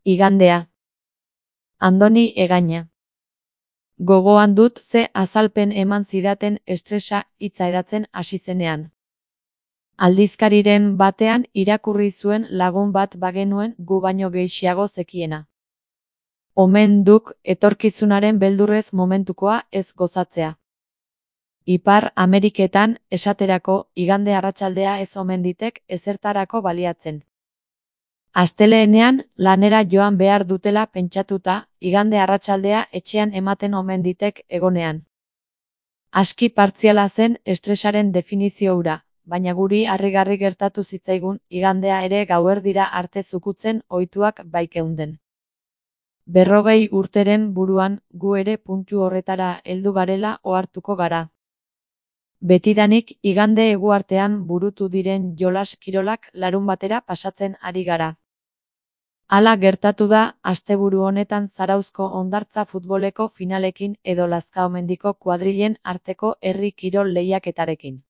Igandea. Andoni Egaña. Gogoan dut ze azalpen eman zidaten estresa hitza hedatzen hasi zenean. Aldizkariren batean irakurri zuen lagun bat bagenuen gu baino gehiago zekiena. Omen duk etorkizunaren beldurrez momentukoa ez gozatzea. Ipar Ameriketan, esaterako, igande arratsaldea ez omen ditek ezertarako baliatzen. Asteleenean, lanera joan behar dutela pentsatuta, igande arratsaldea etxean ematen omen ditek egonean. Aski partziala zen estresaren definizio hura, baina guri harrigarri gertatu zitzaigun igandea ere gauerdira arte zukutzen ohituak baikeunden. 40 urteren buruan, gu ere puntu horretara heldu garela ohartuko gara. Betidanik igande eguartean burutu diren jolas kirolak larunbatera pasatzen ari gara. Hala gertatu da, asteburu honetan Zarauzko hondartza futboleko finalekin edo Lazkaomendiko kuadrilen arteko herri kirol lehiaketarekin.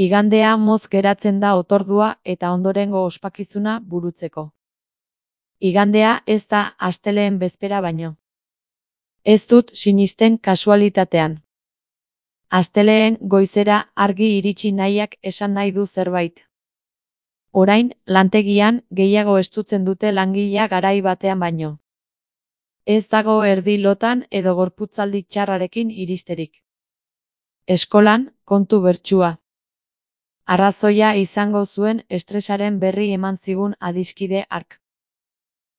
Igandea moz geratzen da otordua eta ondorengo ospakizuna burutzeko. Igandea ez da asteleen bezpera baino. Ez dut sinisten kasualitatean. Asteleen goizera argi iritsi nahiak esan nahi du zerbait. Orain, lantegian, gehiago estutzen dute langilea garai batean baino. Ez dago erdi lotan edo gorputzaldi txarrarekin iristerik. Eskolan, kontu bertsua. Arrazoia izango zuen estresaren berri eman zigun adiskide hark.